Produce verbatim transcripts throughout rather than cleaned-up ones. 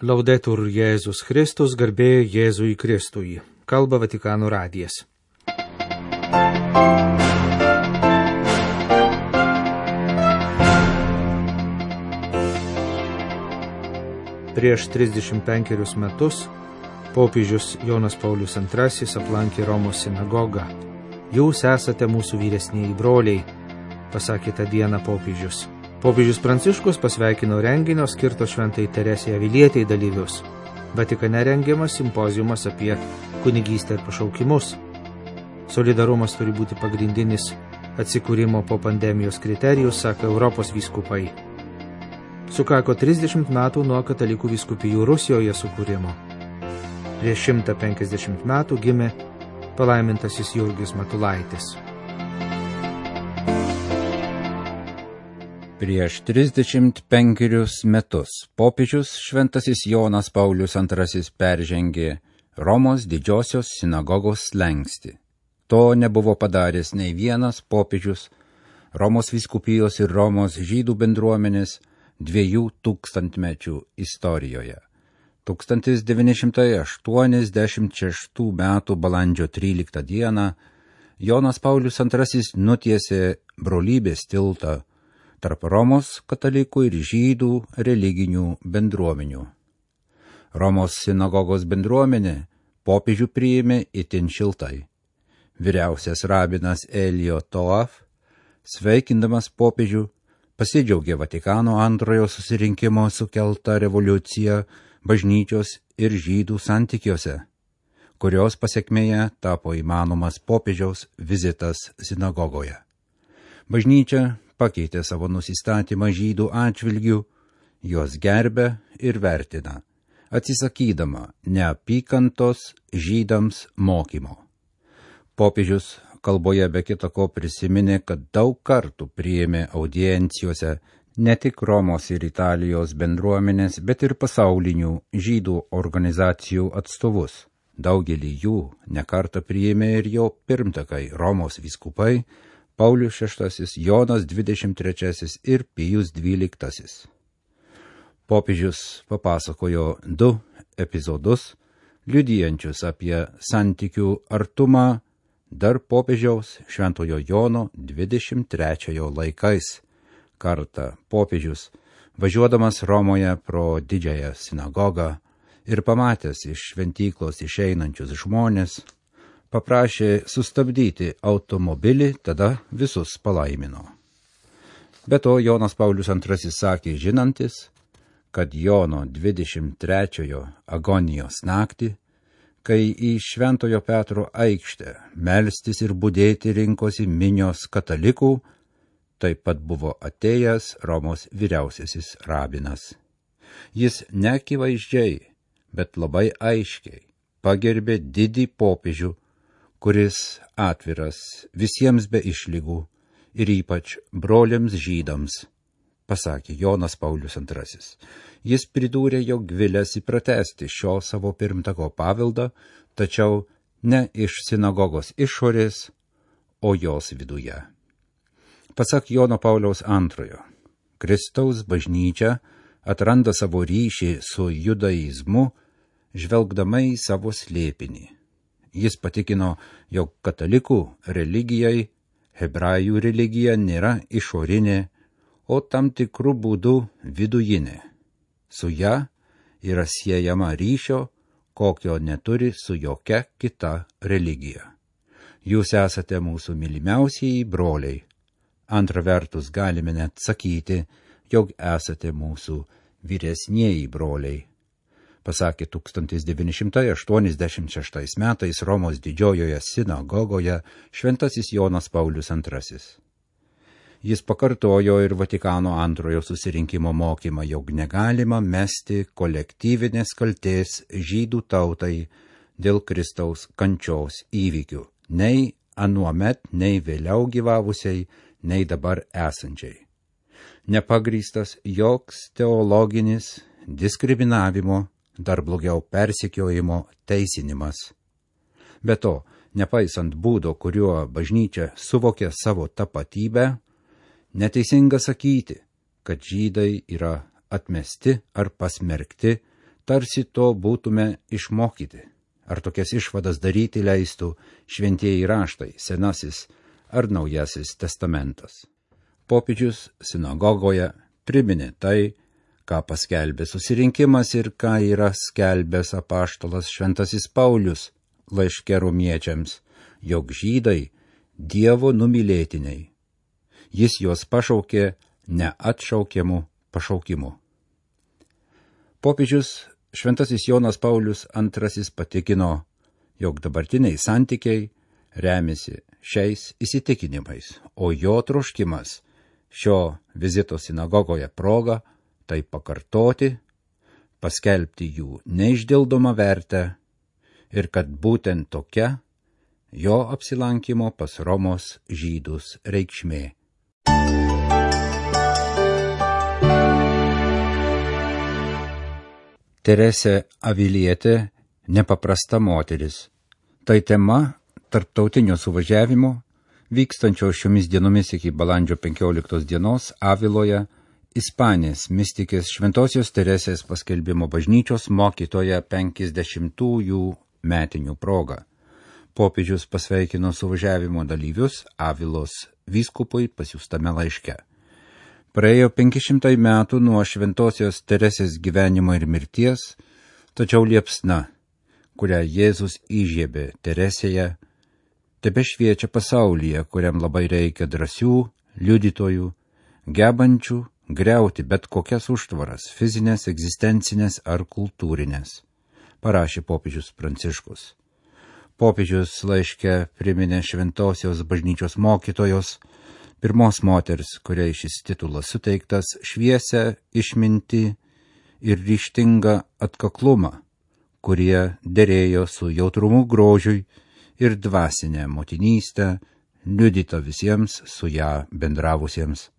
Laudetur Jėzus Kristus, garbė Jėzui Kristui. Kalba Vatikano radijas. Prieš trisdešimt penkerius metus popiežius Jonas Paulius antrasis aplankė Romos sinagogą. Jūs esate mūsų vyresnieji broliai, pasakė tą dieną popiežius. Popiežius Pranciškus pasveikino renginio skirto Šventai Teresei Avilietei dalyvius. Vatikane rengiamas simpoziumas apie kunigystę ir pašaukimus. Solidarumas turi būti pagrindinis atsikūrimo po pandemijos kriterijus, sako Europos vyskupai. Sukako trisdešimt metų nuo katalikų vyskupijų Rusijoje sukūrimo. Prieš šimtą penkiasdešimt metų gimė palaimintasis Jurgis Matulaitis. Prieš trisdešimt penkerius metus popiežius Šventasis Jonas Paulius antrasis peržengė Romos didžiosios sinagogos slenkstį. To nebuvo padaręs nei vienas popiežius Romos vyskupijos ir Romos žydų bendruomenės dviejų tūkstantmečių istorijoje. tūkstantis devyni šimtai aštuoniasdešimt šeštų metų balandžio tryliktą dieną Jonas Paulius antrasis nutiesė brolybės tiltą tarp Romos katalikų ir žydų religinių bendruomenių. Romos sinagogos bendruomenė popiežių priėmė itin šiltai. Vyriausias rabinas Elio Toaf, sveikindamas popiežių, pasidžiaugė Vatikano antrojo susirinkimo sukeltą revoliuciją bažnyčios ir žydų santykiuose, kurios pasekmėje tapo įmanomas popiežiaus vizitas sinagogoje. Bažnyčia pakeitė savo nusistatymą žydų atžvilgių, juos gerbė ir vertina, atsisakydama neapykantos žydams mokymo. Popiežius kalboje be kita ko prisiminė, kad daug kartų priėmė audiencijose ne tik Romos ir Italijos bendruomenės, bet ir pasaulinių žydų organizacijų atstovus. Daugelį jų nekartą priėmė ir jo pirmtakai Romos vyskupai Paulius šeštasis, Jonas dvidešimt trečiasis ir Pijus dvyliktasis. Popiežius papasakojo du epizodus, liudijančius apie santykių artumą dar popiežiaus Šventojo Jono dvidešimt trečiojo laikais. Kartą popiežius, važiuodamas Romoje pro didžiąją sinagogą ir pamatęs iš šventyklos išeinančius žmones, paprašė sustabdyti automobilį, tada visus palaimino. Be to, Jonas Paulius antrasis sakė žinantis, kad Jono dvidešimt trečiojo agonijos naktį, kai į Šventojo Petro aikštę melstis ir budėti rinkosi minios katalikų, taip pat buvo atėjęs Romos vyriausiasis rabinas. Jis neakivaizdžiai, bet labai aiškiai pagerbė didį popiežių, kuris atviras visiems be išlygų ir ypač broliams žydams, pasakė Jonas Paulius antrasis. Jis pridūrė, jog vilėsi pratęsti šio savo pirmtako paveldą, tačiau ne iš sinagogos išorės, o jos viduje. Pasak Jono Pauliaus antrojo, Kristaus bažnyčia atranda savo ryšį su judaizmu, žvelgdama į savo slėpinį. Jis patikino, jog katalikų religijai, hebrajų religija nėra išorinė, o tam tikrų būdų vidujinė. Su ja yra siejama ryšio, kokio neturi su jokia kita religija. Jūs esate mūsų mylimiausieji broliai. Antra vertus galime net sakyti, jog esate mūsų vyresnieji broliai, pasakė tūkstantis devyni šimtai aštuoniasdešimt šeštais metais Romos didžiojoje sinagogoje Šventasis Jonas Paulius antrasis. Jis pakartojo ir Vatikano antrojo susirinkimo mokymą, jog negalima mesti kolektyvinės kaltės žydų tautai dėl Kristaus kančios įvykių, nei anuomet, nei vėliau gyvavusiai, nei dabar esančiai. Nepagrįstas joks teologinis diskriminavimo, dar blogiau persekiojimo teisinimas. Be to, nepaisant būdo, kuriuo bažnyčia suvokė savo tapatybę, neteisinga sakyti, kad žydai yra atmesti ar pasmerkti tarsi to būtume išmokyti. Ar tokias išvadas daryti leistų šventieji raštai, Senasis ar Naujasis testamentas. Popiežius sinagogoje priminė tai, ką paskelbė susirinkimas ir ką yra skelbęs apaštalas Šventasis Paulius laiške romiečiams, jog žydai Dievo numylėtiniai. Jis juos pašaukė neatšaukiamu pašaukimu. Popiežius Šventasis Jonas Paulius antrasis patikino, jog dabartiniai santykiai remiasi šiais įsitikinimais, o jo troškimas šio vizito sinagogoje proga tai pakartoti, paskelbti jų neišdildomą vertę ir kad būtent tokia jo apsilankimo pas Romos žydus reikšmė. Teresė Avilietė nepaprasta moteris. Tai tema tarptautinio suvažiavimo, vykstančio šiomis dienomis iki balandžio penkioliktos dienos Aviloje, Ispanės mistikės Šventosios Teresės paskelbimo bažnyčios mokytoja penkiasdešimtųjų metinių proga. Popiežius pasveikino suvažiavimo dalyvius Avilos vyskupui pasiųstame laiške. Praėjo penki šimtai metų nuo Šventosios Teresės gyvenimo ir mirties, tačiau liepsna, kurią Jėzus įžiebė Teresėje, tebešviečia pasaulyje, kuriam labai reikia drąsių liudytojų, gebančių griauti bet kokias užtvaras, fizinės, egzistencinės ar kultūrinės, parašė popiežius Pranciškus. Popiežius laiške priminė Šventosios bažnyčios mokytojos, pirmos moters, kuriai šis titulas suteiktas, šviesią išmintį ir ryžtingą atkaklumą, kurie derėjo su jautrumu grožiui ir dvasinę motinystę, liudyta visiems su ją bendravusiems.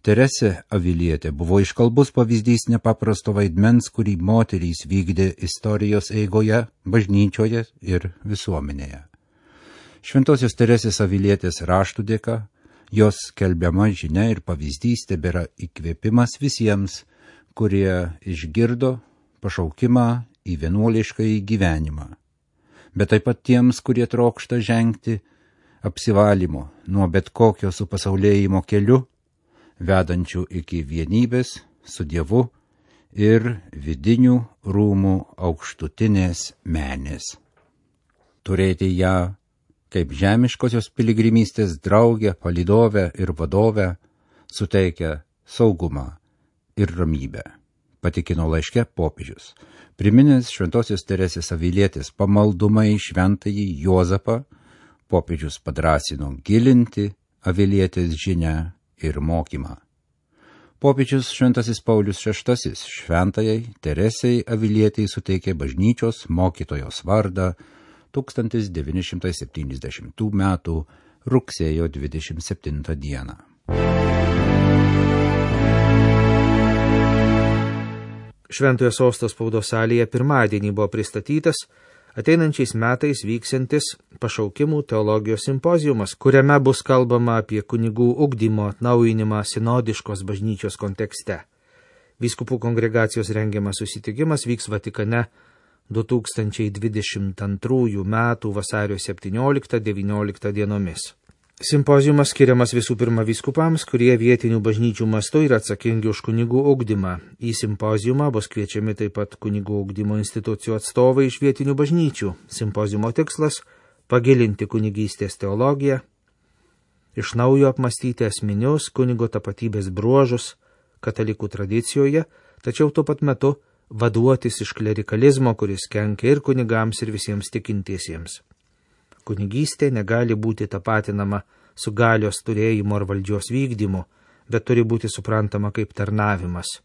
Teresė Avilietė buvo iškalbus pavyzdys nepaprasto vaidmens, kurį moterys vykdė istorijos eigoje, bažnyčioje ir visuomenėje. Šventosios Teresės Avilietės raštų dėka, jos skelbiama žinia ir pavyzdys tebėra įkvėpimas visiems, kurie išgirdo pašaukimą į vienuoliškąjį gyvenimą, bet taip pat tiems, kurie trokšta žengti apsivalymo nuo bet kokio supasaulėjimo keliu, vedančių iki vienybės su Dievu ir vidinių rūmų aukštutinės menės. Turėti ją kaip žemiškosios piligrimystės draugę, palydovę ir vadovę suteikia saugumą ir ramybę, patikino laiške popiežius. Priminęs Šventosios Teresės Avilietės pamaldumą į šventąjį Juozapą, popiežius padrąsino gilinti Avilietės žinią ir mokymą. Popiežius Šventasis Paulius šeštasis šventajai Teresei Avilietei suteikė bažnyčios mokytojos vardą tūkstantis devyni šimtai septyniasdešimtų metų rugsėjo dvidešimt septintą dieną. Šventojo sosto spaudos salėje pirmadienį buvo pristatytas ateinančiais metais vyksiantis pašaukimų teologijos simpoziumas, kuriame bus kalbama apie kunigų ugdymo atnaujinimą sinodiškos bažnyčios kontekste. Vyskupų kongregacijos rengiamas susitikimas vyks Vatikane du tūkstančiai dvidešimt antrųjų metų vasario septynioliktą devynioliktą dienomis. Simpoziumas skiriamas visų pirma vyskupams, kurie vietinių bažnyčių mastu yra atsakingi už kunigų ugdymą. Į simpoziumą bus kviečiami taip pat kunigų ugdymo institucijų atstovai iš vietinių bažnyčių. Simpoziumo tikslas – pagilinti kunigystės teologiją, iš naujo apmastyti esminius kunigo tapatybės bruožus katalikų tradicijoje, tačiau tuo pat metu vaduotis iš klerikalizmo, kuris kenkia ir kunigams, ir visiems tikintiesiems. Kunigystė negali būti tapatinama su galios turėjimu ar valdžios vykdymu, bet turi būti suprantama kaip tarnavimas.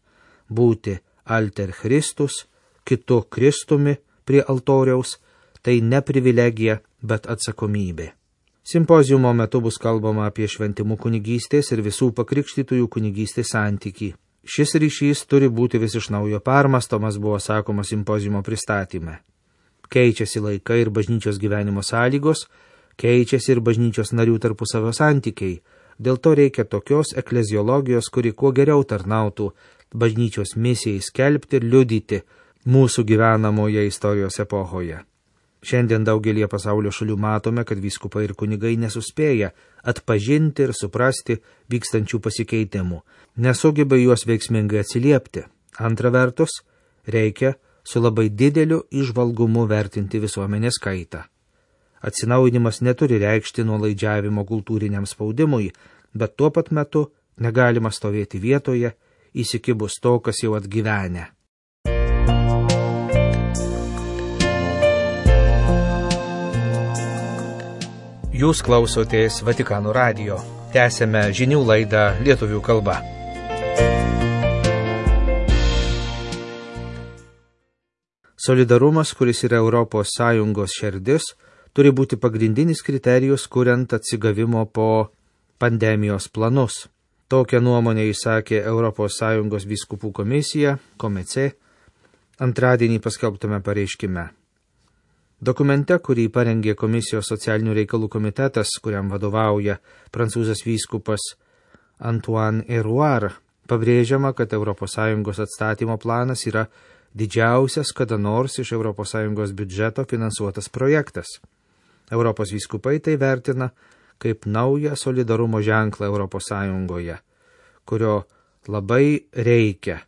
Būti alter Christus, kitu Kristumi prie altoriaus, tai ne privilegija, bet atsakomybė. Simpoziumo metu bus kalbama apie šventimų kunigystės ir visų pakrikštytųjų kunigystės santykį. Šis ryšys turi būti vis iš naujo permastomas, buvo sakoma simpoziumo pristatyme. Keičiasi laikai ir bažnyčios gyvenimo sąlygos, keičiasi ir bažnyčios narių tarpusavio santykiai. Dėl to reikia tokios ekleziologijos, kuri kuo geriau tarnautų bažnyčios misijai skelbti ir liudyti mūsų gyvenamoje istorijos epochoje. Šiandien daugelie pasaulio šalių matome, kad vyskupai ir kunigai nesuspėja atpažinti ir suprasti vykstančių pasikeitimų, nesugeba juos veiksmingai atsiliepti. Antra vertus, reikia su labai dideliu įžvalgumu vertinti visuomenės kaitą. Atsinaujinimas neturi reikšti nuolaidžiavimo kultūriniam spaudimui, bet tuo pat metu negalima stovėti vietoje, įsikibus to, kas jau atgyvenę. Jūs klausotės Vatikano radijo. Tęsėme žinių laidą lietuvių kalba. Solidarumas, kuris yra Europos Sąjungos širdis, turi būti pagrindinis kriterijus, kuriant atsigavimo po pandemijos planus. Tokią nuomonę įsakė Europos Sąjungos vyskupų komisija, Komece, antradienį paskelbtame pareiškime. Dokumente, kurį parengė Komisijos socialinių reikalų komitetas, kuriam vadovauja prancūzas vyskupas Antoine Hérouard, pabrėžiama, kad Europos Sąjungos atstatymo planas yra didžiausias kada nors iš Europos Sąjungos biudžeto finansuotas projektas. Europos vyskupai tai vertina kaip naują solidarumo ženklą Europos Sąjungoje, kurio labai reikia,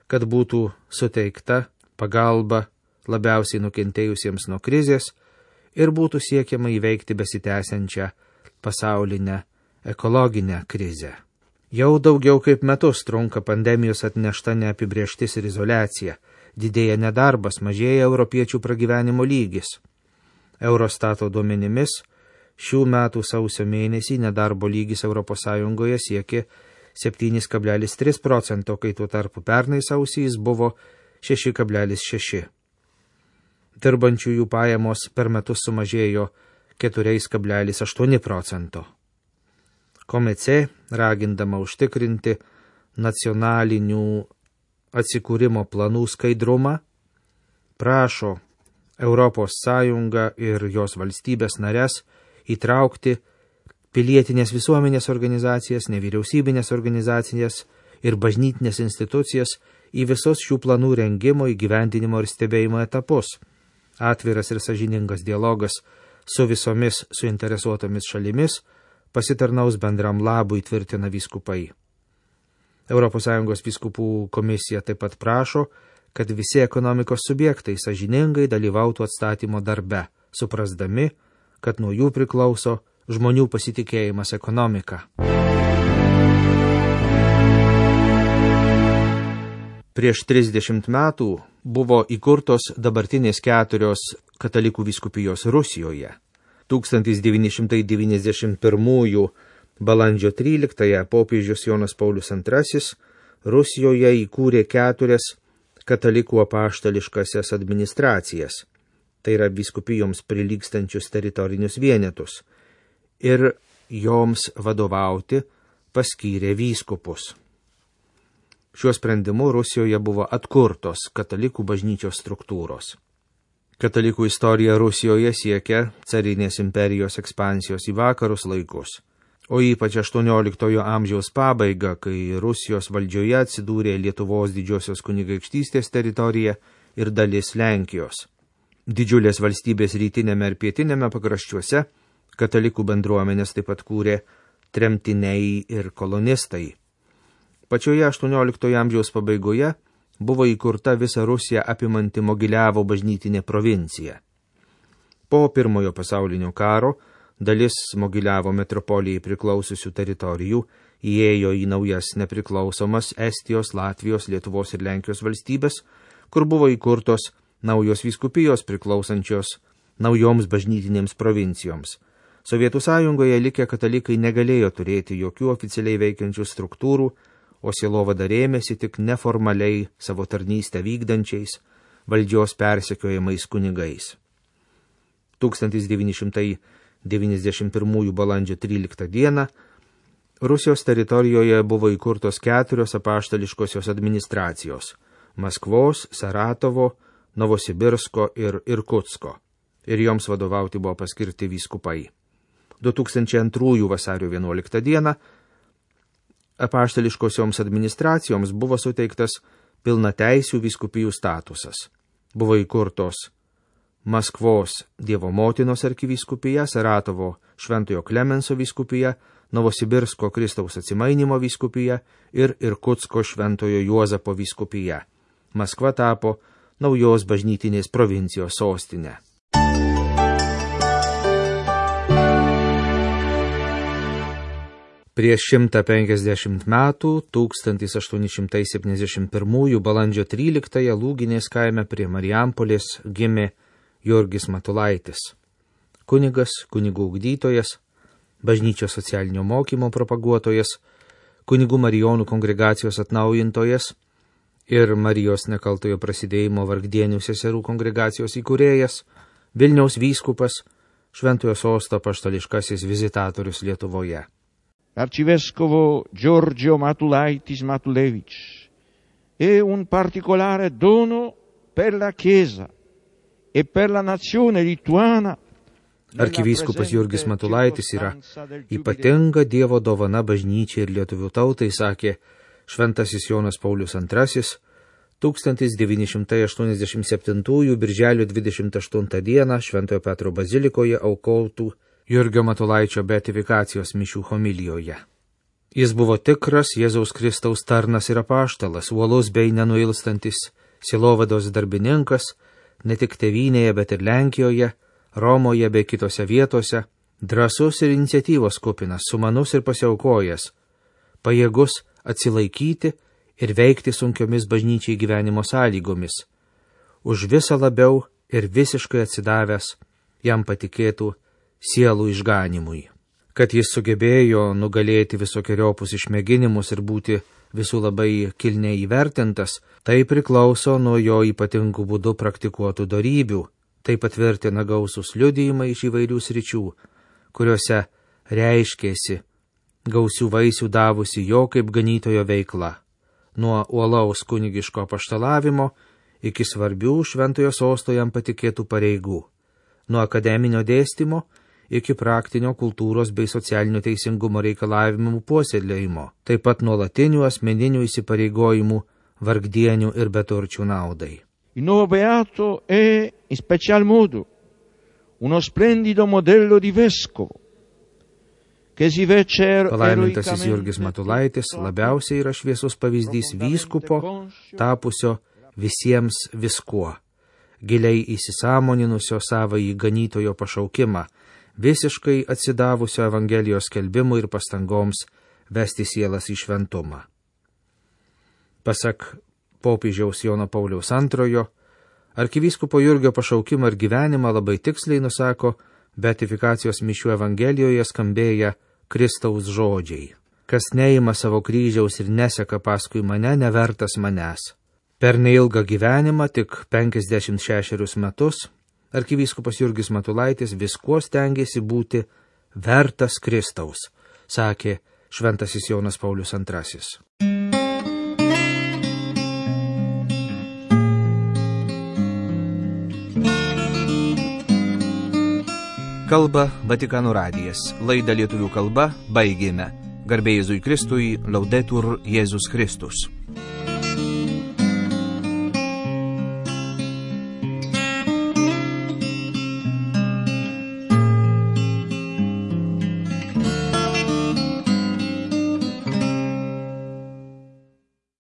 kad būtų suteikta pagalba labiausiai nukentėjusiems nuo krizės ir būtų siekiama įveikti besitęsiančią pasaulinę ekologinę krizę. Jau daugiau kaip metus trunka pandemijos atnešta neapibrieštis ir izoliacija, didėja nedarbas, mažėja europiečių pragyvenimo lygis. Eurostato duomenimis, šių metų sausio mėnesį nedarbo lygis Europos Sąjungoje siekė septyni kablelis trys procento, kai tuo tarpu pernai sausį jis buvo šeši kablelis šeši. Dirbančiųjų pajamos per metus sumažėjo keturi kablelis aštuoni procento. Komece, ragindama užtikrinti nacionalinių atsikūrimo planų skaidrumą, prašo Europos Sąjungą ir jos valstybės nares įtraukti pilietinės visuomenės organizacijas, nevyriausybinės organizacijas ir bažnytinės institucijas į visus šių planų rengimo, įgyvendinimo ir stebėjimo etapus. Atviras ir sąžiningas dialogas su visomis suinteresuotomis šalimis pasitarnaus bendram labui, tvirtina vyskupai. Europos Sąjungos vyskupų komisija taip pat prašo, kad visi ekonomikos subjektai sąžiningai dalyvautų atstatymo darbe, suprasdami, kad nuo jų priklauso žmonių pasitikėjimas ekonomika. Prieš trisdešimt metų buvo įkurtos dabartinės keturios katalikų vyskupijos Rusijoje. tūkstantis devyni šimtai devyniasdešimt pirmųjų balandžio tryliktąją popiežius Jonas Paulius antrasis Rusijoje įkūrė keturias katalikų apaštališkasias administracijas, tai yra vyskupijoms prilygstančius teritorinius vienetus, ir joms vadovauti paskyrė vyskupus. Šiuo sprendimu Rusijoje buvo atkurtos katalikų bažnyčios struktūros. Katalikų istorija Rusijoje siekia carinės imperijos ekspansijos į vakarus laikus, o ypač aštuonioliktojo amžiaus pabaigą, kai Rusijos valdžioje atsidūrė Lietuvos didžiosios kunigaikštystės teritorija ir dalis Lenkijos. Didžiulės valstybės rytinėme ir pietinėme pakraščiuose katalikų bendruomenės taip pat kūrė tremtiniai ir kolonistai. Pačioje aštuonioliktojo amžiaus pabaigoje buvo įkurta visą Rusiją apimanti Mogiliavo bažnytinė provincija. Po pirmojo pasaulinio karo dalis Mogiliavo metropolijai priklausiusių teritorijų įėjo į naujas nepriklausomas Estijos, Latvijos, Lietuvos ir Lenkijos valstybės, kur buvo įkurtos naujos vyskupijos priklausančios naujoms bažnytinėms provincijoms. Sovietų sąjungoje likę katalikai negalėjo turėti jokių oficialiai veikiančių struktūrų, o sielovada rėmėsi tik neformaliai savo tarnystę vykdančiais valdžios persekiojamais kunigais. tūkstantis devyni šimtai devyniasdešimt pirmųjų balandžio tryliktą dieną Rusijos teritorijoje buvo įkurtos keturios apaštališkosios administracijos – Maskvos, Saratovo, Novosibirsko ir Irkutsko, ir joms vadovauti buvo paskirti vyskupai. du tūkstančiai antrųjų vasario vienuoliktą dieną apaštališkosioms administracijoms buvo suteiktas pilnateisių vyskupijų statusas. Buvo įkurtos Maskvos Dievo motinos arkivyskupija, Saratovo Šventojo Klemenso vyskupija, Novosibirsko Kristaus atsimainimo vyskupija ir Irkutsko Šventojo Juozapo vyskupija. Maskva tapo naujos bažnytinės provincijos sostinė. Prieš šimtą penkiasdešimt metų, tūkstantis aštuoni šimtai septyniasdešimt pirmųjų balandžio tryliktąją Lūginės kaime prie Marijampolės gimė Jurgis Matulaitis. Kunigas, kunigų ugdytojas, bažnyčios socialinio mokymo propaguotojas, kunigų Marijonų kongregacijos atnaujintojas ir Marijos nekaltojo prasidėjimo vargdienių seserų kongregacijos įkūrėjas, Vilniaus vyskupas, Šventojo sosto apaštališkasis vizitatorius Lietuvoje. L'arcivescovo Giorgio Matulaitis Matulevič è un particolare dono per la Chiesa e per la nazione lituana. Arkivyskupas Jurgis Matulaitis yra ypatinga Dievo dovana bažnyčiai ir lietuvių tautai, sakė šventasis Jonas Paulius antrasis, tūkstantis devyni šimtai aštuoniasdešimt septintųjų birželio dvidešimt aštuntą dieną Šventojo Petro bazilikoje aukotų Jurgio Matulaičio beatifikacijos mišių homilijoje. Jis buvo tikras Jėzaus Kristaus tarnas ir apaštalas, uolus bei nenuilstantis sielovados darbininkas, ne tik tėvynėje, bet ir Lenkijoje, Romoje bei kitose vietose, drąsus ir iniciatyvos kupinas, sumanus ir pasiaukojęs, pajėgus atsilaikyti ir veikti sunkiomis bažnyčiai gyvenimo sąlygomis, už visą labiau ir visiškai atsidavęs jam patikėtų sielų išganimui. Kad jis sugebėjo nugalėti visokiojopus išmėginimus ir būti visų labai kilniai įvertintas, tai priklauso nuo jo ypatingų būdų praktikuotų dorybių. Tai patvirtina gausus liudijimai iš įvairių sričių, kuriuose reiškėsi gausių vaisių davusi jo kaip ganytojo veikla, nuo uolaus kunigiško apaštalavimo iki svarbių Šventojo sosto jam patikėtų pareigų, nuo akademinio dėstymo iki praktinio kultūros bei socialinio teisingumo reikalavimų puoselėjimo, taip pat nuolatinių asmeninių įsipareigojimų vargdienių ir beturčių naudai. Il nuovo beato è in special modo uno splendido modello di vescovo che si vece Palaimintasis Jurgis Matulaitis labiausiai yra šviesus pavyzdys vyskupo, tapusio visiems viskuo, giliai įsisąmoninusio savąjį ganytojo pašaukimą, visiškai atsidavusio Evangelijos skelbimui ir pastangoms vesti sielas į šventumą. Pasak popiežiaus Jono Pauliaus antrojo, arkivyskupo Jurgio pašaukimą ir gyvenimą labai tiksliai nusako beatifikacijos mišių Evangelijoje skambėję Kristaus žodžiai. Kas neima savo kryžiaus ir neseka paskui mane, nevertas manęs. Per neilgą gyvenimą, tik penkiasdešimt šešerius metus, arkivyskupas Jurgis Matulaitis viskuo stengėsi būti vertas Kristaus, sakė šventasis Jonas Paulius antrasis. Kalba Vatikano radijas. Laidą lietuvių kalba baigėme. Garbė Jėzui Kristui, Laudetur Jėzus Kristus.